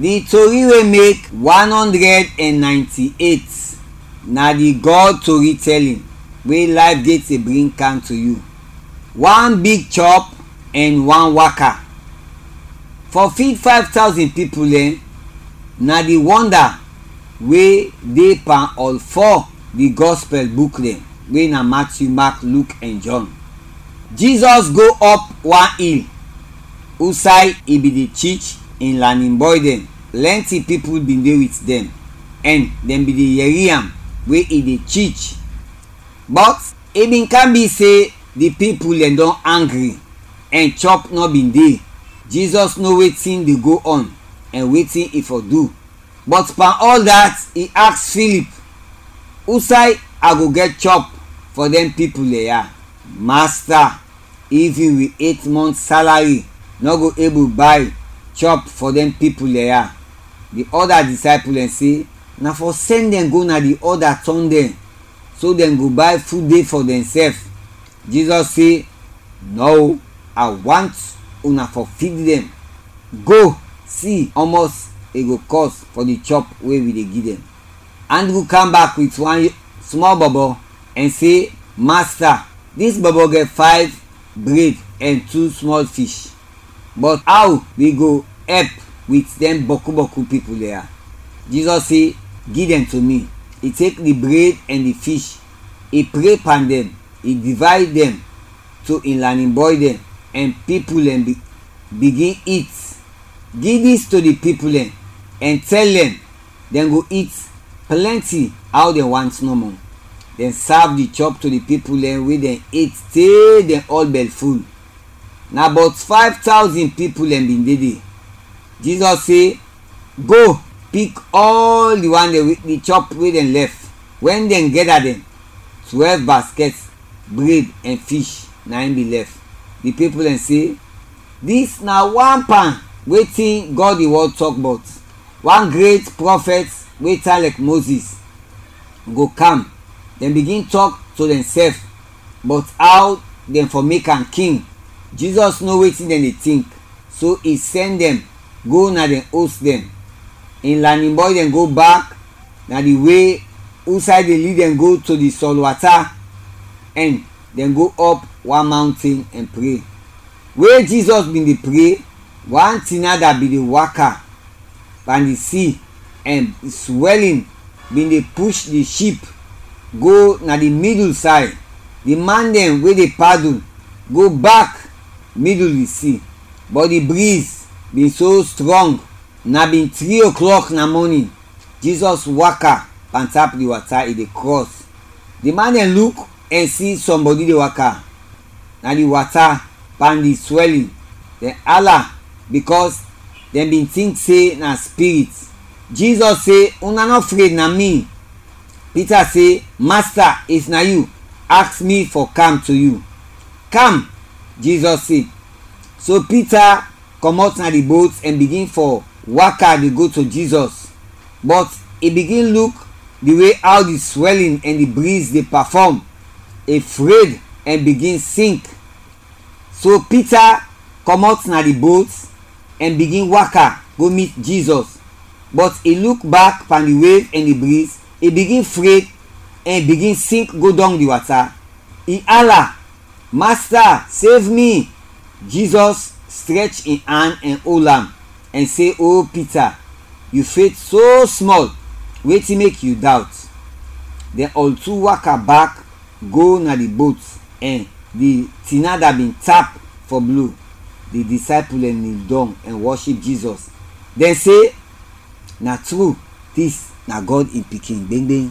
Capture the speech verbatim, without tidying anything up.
Di tori we mek one hundred and ninety-eight na di God tori telling we Life Gate dey bring kam to yu. Wan big chɔp and wan waka. For feed five thousand pipul dɛn, na di wonda we de pan ɔl fɔ di Gospel buk dɛn, we na Matthew, Mark, Luke and John. Jizɔs go ɔp wan il, usay i bin de tich in lanin bɔy dɛn. Plɛnti pipul bin de wit dɛn, ɛn dɛn bin de yɛri am we i de tich. Bɔt i bin kam bi se di pipul dɛn dɔn angri, ɛn chɔp nɔ bin de. Jizɔs no wetin de go ɔn ɛn wetin i fɔ du. Bɔt pan ɔl dat, i aks Filip, "Usay a go gɛt chɔp fɔ dɛn pipul dɛn ya?" "Masta, ivin wi et mɔnt salari nɔ go ebul bay chɔp fɔ dɛn pipul dɛn ya." Di ɔda disaypul dɛn se, "Na fɔ sɛn dɛn go na di ɔda tɔng dɛn, so dɛn go bay fud de fɔ dɛnsɛf." Jizɔs se, "Nɔ, a want una fɔ fid dɛn. Go, si ɔmɔs i go kɔs fɔ di chɔp we wi de gi dɛn." Andru kam bak wit wan smɔl bɔbɔ ɛn se, "Masta, dis bɔbɔ gɛt fayv bred ɛn tu smɔl fish, bɔt aw wi go ɛp wit dɛn bɔku bɔku pipul dɛn ya?" Jizɔs se, "Gi dɛn to mi." I tek di bred ɛn di fish, i pre pan dɛn, i divayd dɛn to in lanin bɔy dɛn, ɛn pipul dɛn bi-, bigin it. Gi dis to di pipul dɛn ɛn tɛl dɛn, dɛn go it plɛnti aw dɛn want nɔmɔ. Dɛn sav di chɔp to di pipul dɛn we dɛn et te dɛn ɔl bɛlful. Na bɔt fayv tawzin pipul dɛn bin de de. Jizɔs se, "Go, pik ɔl di wan dɛn we, di chɔp we dɛn lɛf." Wɛn dɛn gɛda dɛn, twɛlv baskɛt bred ɛn fish na in bin lɛf. Di pipul dɛn se, "Dis na wan pan wetin Gɔd in wɔd tɔk bɔt. Wan gret prɔfɛt we tan lɛk Mozis go kam." Dɛn bigin tɔk to dɛnsɛf bɔt aw dɛn fɔ mek am king. Jizɔs no wetin dɛn de tink, so i sɛn dɛn go na dɛn os dɛn. In lanin bɔy dɛn go bak na di we usay de lid dɛn go to di sɔl wata, ɛn dɛn go ɔp wan mawnten ɛn pre. We Jizɔs bin de pre, wan tinada bin de waka pan di si, ɛn swɛlin bin de push di ship go na di midul say. Di man dɛn we de padul go bak midul di si, bɔt di briz bin so strɔng. Na bin tri oklɔk na mɔnin. Jizɔs waka pantap di wata, i de krɔs. Di man dɛn luk ɛn si sɔmbɔdi de waka na di wata pan di swɛlin. Dɛn ala, bikɔs dɛn bin tink se na spirit. Jizɔs se, "Una nɔ fred, na mi." Pita se, "Masta, if na yu, aks mi fɔ kam to yu." "Kam," Jizɔs se. So Pita kɔmɔt na di bot ɛn bigin fɔ waka de go to Jizɔs. Bɔt i bigin luk di we aw di swɛlin ɛn di briz de pafɔm, i fred ɛn bigin sink. So Pita kɔmɔt na di bot ɛn bigin waka go mit Jizɔs, bɔt i luk bak pan di wev ɛn di briz, i bigin fred ɛn bigin sink go dɔng di wata. I ala, "Masta, sev mi!" Jizɔs strɛch in an ɛn ol am ɛn se, "O Pita, yu fed so smɔl, wetin mek yu dawt?" Dɛn ɔl tu waka bak go na di bot, ɛn di tinada bin tap fɔ blo. Di disaypul dɛn nil dɔng ɛn wɔship Jizɔs. Dɛn se, "Na tru, dis na Gɔd in Pikin gbengbeng."